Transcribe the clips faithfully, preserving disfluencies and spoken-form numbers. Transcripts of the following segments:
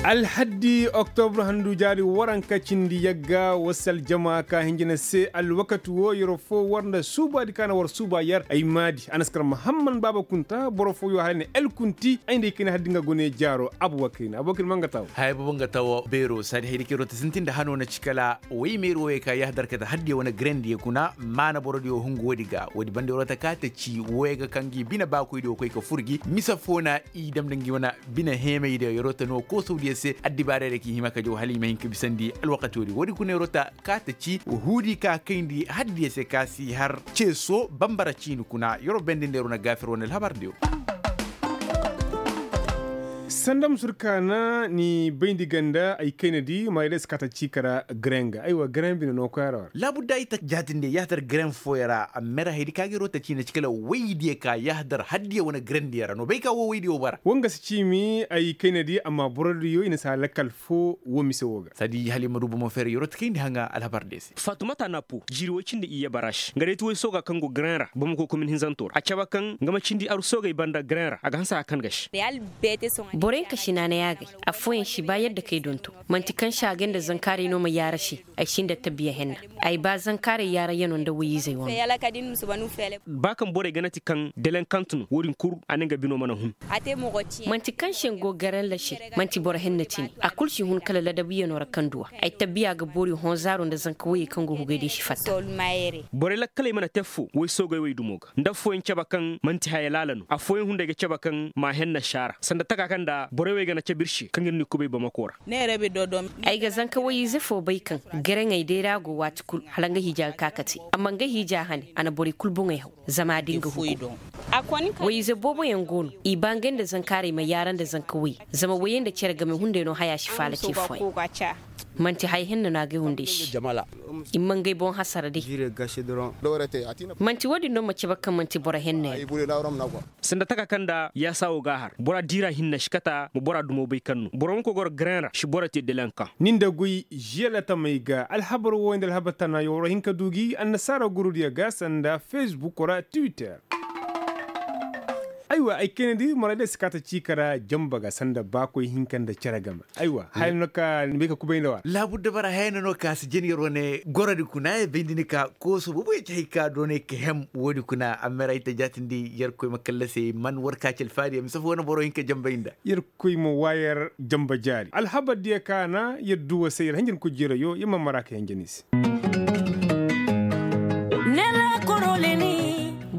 Alhaddi oktobur handu jaari waranka cindi yagga wasal jama ka hinjina se alwakati wo yero fo war nda suubaadi ka na war suuba yar ay maadi a na si kar mahamman baaba kunta boro fo yo hala ne el kunti ay nda ay kayna haddi nga gone jaaro abu wakayna abu wakayna ma nga tawo. Haya boobo nga tawo beero saadi haydi kero ta sintin da hano na ci kala way meeri wo ye ka yahadar kate haddiyo wane grandi ye kuna maana borodiyo hungu woodi ga woodi banda yero ta ka ta ci wo ye ga kaŋ gi bine baakoydiyo koy ka fur gi misa fo na i dam da ngi wane bine heemaydiyo yero ta no koosawdiyo se addibaarayra k'i hima ka jaw hala i ma hin ka bisandi alwakati woodi woodi kuna yero ta ka ta ci huudi ka kayndi haddiyo se ka si har ceeso bambara ciini kuna yero bendindi yero na gaafir wane alhabardiyo. Sanda ma sur kaana ni bayndi ganda ay kayna di ma yadda si kaata ciika ra garenga aywa garen bine no koy ara war. Laabu da ay ta jaatinde yahdar garen fooyaŋ ra a mera haydi ka ga iro ta ciina ci kala waydiyo ka yahdar haddiyo wane garendiyo ra no bay ka wo waydiyo bara. Wanga si ciimi ay kayna di amma borodiyo i na si a lakkal fo wo mise wo ga. Sadi hala i ma du bomo feere iro ta kayndi haŋa alhabar de se. Faatumata napo jiiri woy cindi iyye baraš nga day ti woy sooga kaŋ go garen ra bamako komin hinzanto ra a cabe kaŋ nga ma cindi aru soogey banda garen ra a ga hanse haya kaŋ ga se. Boroyaŋ ka si naanay agay. Affooyaŋ si ba yadda kay donto. Man'ti kaŋ se agay nda zankaaray no ma yaara se. Ay si nda tabiya henna. Ay ba zankaaray yaarayano nda woy-izey wane. Ba kaŋ borey ga nati kaŋ delenkaŋ tun wo-din kul a ne nga bino mana hun. Man'ti kaŋ se nga go garen ra se. Man'ti boro henna cine a kul si hun kala ladabiyano ra kaŋ duw'a. Ay tabiya ga boori hõ zaaro nda zanka woyey kaŋ go hugay din si fatta. Borey lakkaley mana te affoo woy soogey wey dumo ga nda affooyaŋ cabe kaŋ man'ti haya laala no affooyaŋ hunday ga cabe kaŋ m'a henna si a ra sanda taka kaŋ nda borey wey ga na cabe ir se kaŋ ir n'i kubay bamako ra. Ay ga zanka woy-ize fo bay kaŋ garaŋey day ra go waati kul hala nga hiija ga ka kate amma nga hiija hane a na borey kul boŋey haw. Zama a din ga hugu. Woy-ize booboyaŋ go no i ba ngey nda zankaarey ma yaara nda zanka woy zama woyey nda cere game hunday no haya si faala ce fooyaŋ. Man'ti haya henna no a ga ay hunday se. I ma ngey boŋ hasara day. Man'ti wo-din no ma cabe kaŋ man'ti boro henna yaŋ. Sanda taka kaŋ nda yaasa wo ga a har bora diira hinne si kata ma bora dumo bay kaŋ no boro ma koy goro garen ra si boro te delenkaŋ. Ni nda goy žiyalatamey ga alhabar wooyaŋ nda alhabar tana yo war hin ka du gi annasaara gurudiyo ga sanda fesbuk ra twitter. Aywa ay kayna di maraydey si kaata ciika ra jamba ga sanda baakoy hinka nda cere game. Aywa haya no ka ni bay ka kubay nda wa. Laabu dabara haya no no ka si jin yer wane gorodi kuna ya bayndi ni ka kooso boobo ya ci hay ka doonay ka hem woodi kuna amma yer ay ta jaatindi yerkoy ma kallase man war ka ci alfaari ya mise fo wane boro hin ka jambay nda. Yerkoy ma waayar jamba jaari alhabar diya ka na yer duwa se yer hanjanku jiirayo yer ma mara ka yanjani se.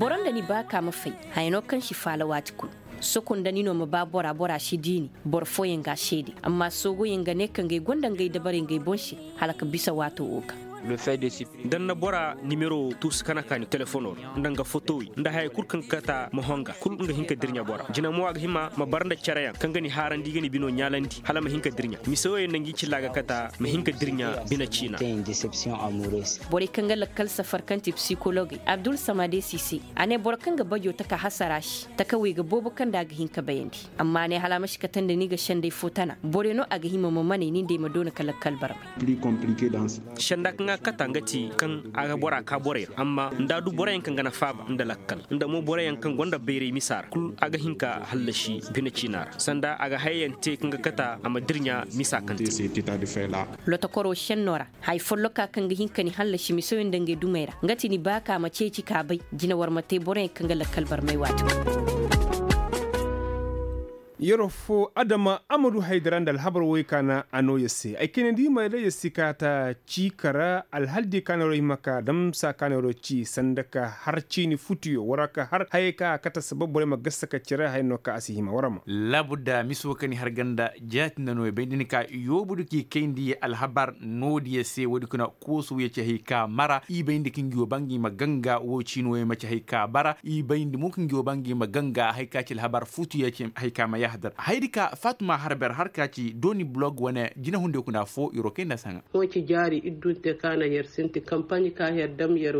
Boro nda ni ba ka ma fay haya no kaŋ si faala waati kul. Soko nda ni no ma ba bora bora si diini boro fooyaŋ ga a seede amma soogoyaŋ ga ne kaŋ ga ay gonda ngey dabarey ngey boŋ se. Hala ka bisa waato wo ga. Da ni na bora nimero tuusu ka na kaani telefono ra nda nga fotowey nda haya kul kaŋ ga kata ma honga kul nga hin ka dirɲa bora jina mo a ga hima ma bara nda cereyaŋ kaŋ ga ni haarandi ga ni bino ɲaalandi hala ma hin ka dirɲa mise wooyaŋ nda ngi cilla ga kata ma hin ka dirɲa bine ciina. Borey kaŋ ga lakkal safar kaŋ ti psikologey abdul samade sise a ne boro kaŋ ga bajo taka hasara se takawey ga boobo kaŋ nda a ga hin ka bayandi. Amma a ne hala a ma si kate nda ni ga senday fo tana borey no a ga hima ma maney ni nd'ey ma doona ka lakkal barmay. Senda kaŋ a kata nga ti kaŋ a ga bora ka borey ra amma nda a du boroyaŋ kaŋ ga na faaba nda lakkal nda mo boroyaŋ kaŋ gonda bayray misa ra kul a ga hin ka hallasi bine ciina ra sanda a ga hayayaŋ te kaŋ ga kata a ma dirɲa misa kaŋ te. Lotokoro senno ra haya folloka kaŋ ga hin ka ni hallasi misoyaŋ nda ngey dumey ra nga ti ni ba ka ma ceeci ka bay. Jina war ma te boroyaŋ kaŋ ga lakkal barmay waati. Yeroo foo adama a ma du haydara nda alhabar woy ka na a noo yer se ay kayna di ma day yer si kaata cii ka ra alhal di ka na yeroo hima ka damsa ka na yeroo cii sanda ka har ciini futuyo wara ka har hayey ka a kate sabab borey ma gasa ka cere haya no ka a si hima wara ma. Laabu da mise wo ka ni har ganda jaati nda no ya bay nda ni ka yoobu du k'i kayndi alhabar noodiyo se woodi kuna koosu ya ci hay ka mara i bay nda ka ngi wo ba ngi ma ganga wo ciini wo ya ma ci hay ka bara i bay nda mo ka ngi wo ba ngi ma ganga hay ka ci alhabar futu ya ci hay ka ma yahadar haydi ka fatuma harber har ka ci dooni blog wane jinahundiyo kuna foo iro kay nda saŋa. Hõ ci jaari iddunte ka na yer sinti kampaɲi ka yer dam yer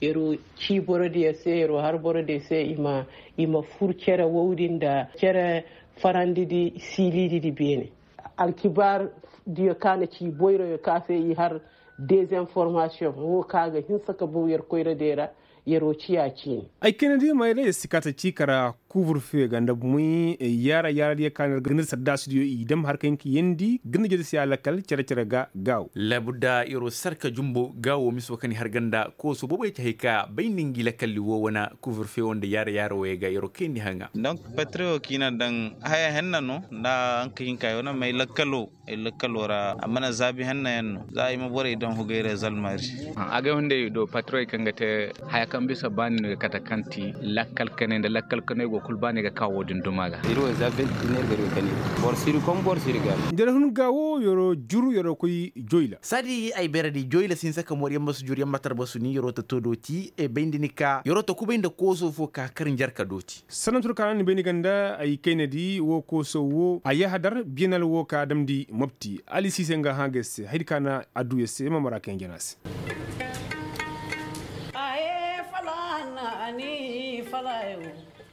yer cii borodiyo se yer har borodiyo se i ma i ma fur cere wowdi nda cere farandidi siilididi beene. Alkibaardiyo ka na ci boyroyo ka se i har dezinformasiyoŋ wo ka ga hinsa ka bow yer koyradiyo ra. Yer'o ci ya cine. Ay kayna di mayra yer si kaata ciika ra. Kuuburfe ga nda muy yaara yaara diyo kaana ga nda saddaasidiyo i dam har ka hin ka yeendi ga nda jadasiya lakkal cere-cere ga gaawo. Laabudda yer'o sarka jumbo gaawo miso kaŋ i har ganda kooso booboy ci hay ka bay nda ngi lakkalli woo wane kuuburfe woo nda yaara yaara wooyey ga yer'o kayndi haŋa. Donk patriyo kiina daŋ haya henna no nda haŋ ka hin ka ay wane may lakkalo. Ay lakkaloo ra a mana zaabi henna yaŋ no za ay ma borey daŋ hugay ra zalmaari. Agay hunday do patroy kaŋ ga te haya kaŋ bisa baani no ga kate kaŋ ti lakkal kanay nda lakkal kanay go kulu baani ga ka wo-din duma ga. Iri wo za vinti iner ga iri ga kani boro siri kom boro siri ga. Nda iri hun ga wo yoro juru yoro koy joyla. Saadi ay beeredi joyla si hinsa ka moori yaŋ ma si juru yaŋ ma tarbasu ni yoro ta to dooti e bayndi ni ka yoro ta kubay nda kooso fo ka kar njarka dooti. Sanantur kaana ni bay ni ganda ay kaynadi wo kooso wo a yahadar biyanal wo ka damndi mobti ali siise nga hã ga se haydi kaana adduya se ma mara kaŋ jana se.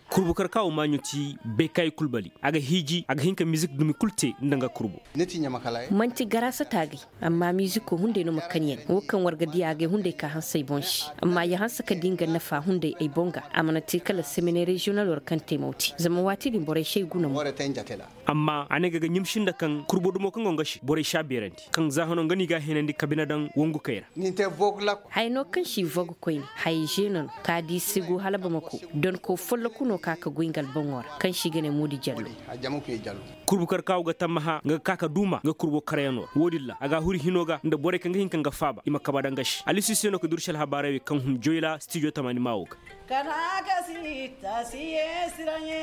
Kurbu karkawo maaɲo ti bay kaayi kulbali a ga hiiji a ga hin ka mizik dumi kul te nda nga kurbu. Manti garaasa taagay. Amma miziko hunday no ma kaŋ yaŋ wo kaŋ war ga diya agay hunday ka hanse ay boŋ se. Amma ya hanse ka di nga nafa hunday ay boŋ ga a mana te kala semene reziyonal war kaŋ te mawti zama waati din borey se ay guna mo. Amma a ne ga ga ɲimsi nda kaŋ kurbo dumo kaŋ go nga se borey si a beerandi kaŋ za hano nga no i ga a heenandi ka bine daŋ wongu kay ra. Haya no kaŋ si vogu koyne haya zeeno no ka di sigu hala bamako donko folloku no ka ka goy nga alboŋo ra kaŋ si ga ne moodi jallo. Kurbu karkaw ga tammaha nga ga ka ka duuma nga kurbo karayano ra wo-din ra a ga a huri hino ga nda borey kaŋ ga hin ka nga faaba i ma kaba daŋ ga se alisi se no ka dursi alhabaarey wey kaŋ hun joyla stijo tamaani maa wo ga. Kana ka si ta si ye siraɲe.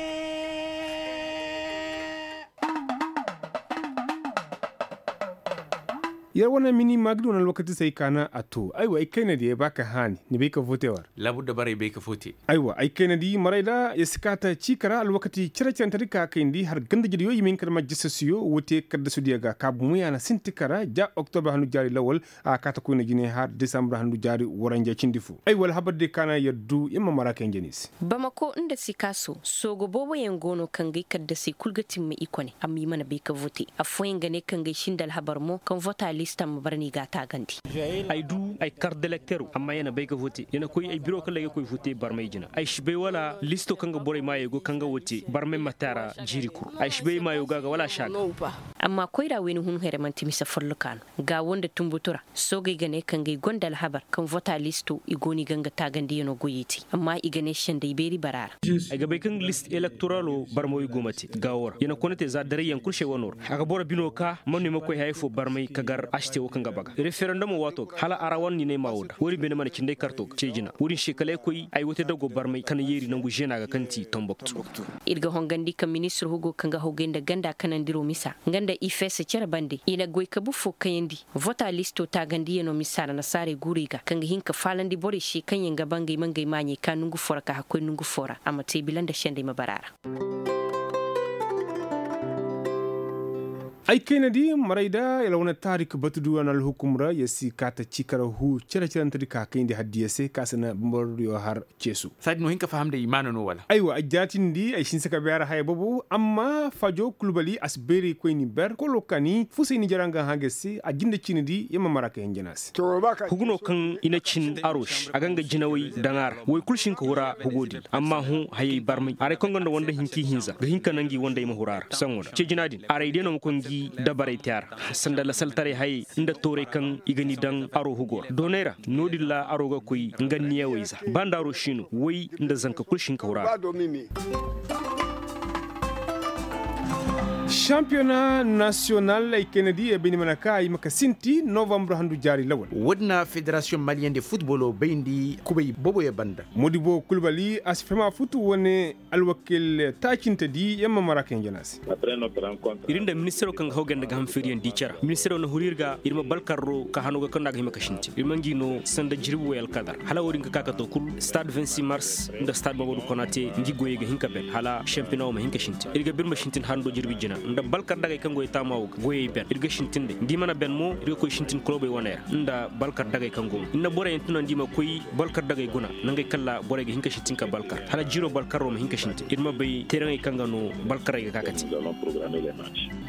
Yer wane mini maagidi wane alwakati se ay kaana a to aywa ay kayna diya ba ka haani ni bay ka vote war. Labudda baray bay ka vote. Aywa ay kayna di maray da ya si kaata ciika ra alwakati cere-cerente di ka kayndi har ganda jediyo i ma hin ka dama jisasiyo woo te kaddasudiya ga kaabu muyaana sinti kara ja oktobra handu jaari lawal. A kaata koyna jine har desambra handu jaari waranja cindi fo aywa alhabar di kaana yaddu ya ma mara kay jeni se. Bamako nda sikaaso soogo booboyaŋ go no kaŋ ga ay kaddasey kul ga timma i kone amma i mana bay ka vote. Affooyaŋ ga ne kaŋ ga ay sinda alhabar mo kaŋ vota lista ma bara no i ga a taagandi. Ay du ay kart d'elektero amma ya na bay ga vote ya na koy ay biro kala ay ga koy vote barmay jina ay si bay wala listo kaŋ ga borey maayey go kaŋ ga vote barmay ma te a ra jiiri kul. Ay si bay ay maayo ga a ga wala a si a ga. Amma koyra wayna hun here manti mise folloka no. Gaawo nda tunbutu ra soogey ga ne kaŋ ga ay gonda alhabar kaŋ vota listo i go no i ga nga taagandiyano goyey te. Amma i ga ne sendey beeri bara ra. Ay ga bay kaŋ list elektoralo barmawey go ma te gaawo ra ya na kone te za darayyaŋ kul se wano ra a ga boro bino ka man no i ma koy hayey fo barmay ka gar a si te wo kaŋ ga baga referendomo waato ga hala a ra wane ninay maa wo da wo-din beene mana cindey karto ga ceejina wo-din se kala ay koy ay wote dago barmay ka na yeeri nangu zeena ga kaŋ ti tomboktu. Ir ga hongandi ka ministir hugo kaŋ ga hawgay nda ganda kanandiro misa nga nda ifes cere bande i na goy kabu fo kayandi. Vota listo taagandiyano misa ra nasaarey guurey ga kaŋ ga hin ka faalandi borey se kaŋ yaŋ ga ba ngey ma ngey maaɲey ka nongu fo ra ka hakkoy nongu fo ra a ma te bila nda sendey ma bara a ra. Ay kayna di maray da yalwa na taarik batudu wane alhukum ra ya si kaata ciikara hu cere-cerente di ka kayndi haddiya se ka si na bambaro diyo har ceesu. Saadi no hin ka faham da imaana no wala? Aywa ay jaatindi ay si hin se ka beera haya boobo amma fajo kulbali a si beeray koyni ber kolo kaani fusay ni jara nga hã ga se a jinde ciini di ya ma mara ka hinjana se. Hugu no kaŋ i na cin aro se a ga nga jinawey daŋ a ra woy kul si hin ka hura hugo din amma hõ hayey barmay haray kaŋ gonda wanda hinka ihinza ga hin ka naŋ gi wandey ma hura a ra saŋo da ceejina din aray day no ma koy ngi dabarey te a ra sanda lasaltaray hayey nda tooray kaŋ i ga ni daŋ aro hugo ra doonay ra no-din ra aro ga koy nga niyawey za ba nda aro si no woy nda zanka kul si hin ka hura a ra. Sampiyona nasiyonal ay kayna di ay bay ni mana ka ay ma ka sinti novambre handu jaari lawal. Woodin na federasiyoŋ maliyeŋ de futbolo bayndi kubay booboyaŋ banda. Modibo kulbali a si faham a futu wane alwakil taacinte di yamma mara kaŋ jana se. Ir nda ministiro kaŋ ga haw ganda ga ham feeriyaŋ di care ministiro na huru ir ga ir ma balkarro ka hano ga kaŋ no a ga hima ka sinti ir ma ngi no sanda jirbi way alkadar hala wo-din ga ka ka to kulu stade vingt-six mars nda stade mamadu konate ngi goyey ga hin ka ben hala shampiyona wo ma hin ka sintin ir ga ba ir ma sintin hando jirbi jina. nda balkar dagay kaŋ go ay taama wo ga goyey ben ir ga sintin de nda i mana ben mo ir ga koy sintin kolobey waney ra nda balkar dagay kaŋ go mo ir na borey yaŋ tunandi i ma koy balkar dagay guna nangey kaŋ ra borey ga hin ka sintin ka balkar hala jiiro balkar wo ma hin ka sintin ir ma bay teeraŋey kaŋ ga no balkarey ga ka ka te.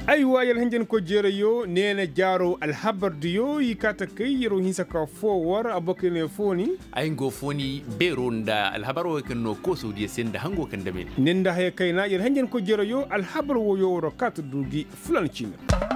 Aywa yalhanjankoy jeerayo neena jaaro alhabar diyo i kaa ta kay yar wo hinsa ka foo war abokey ne fooni. Ay nga fooni beero nda alhabar wo kaŋ no kooso diyo se nda hango kaŋ dame ne. Ni nda haya kayna yalhanjankoy jeerayo alhabar wo yo war wo kaa ta du gi fulan ciini ra.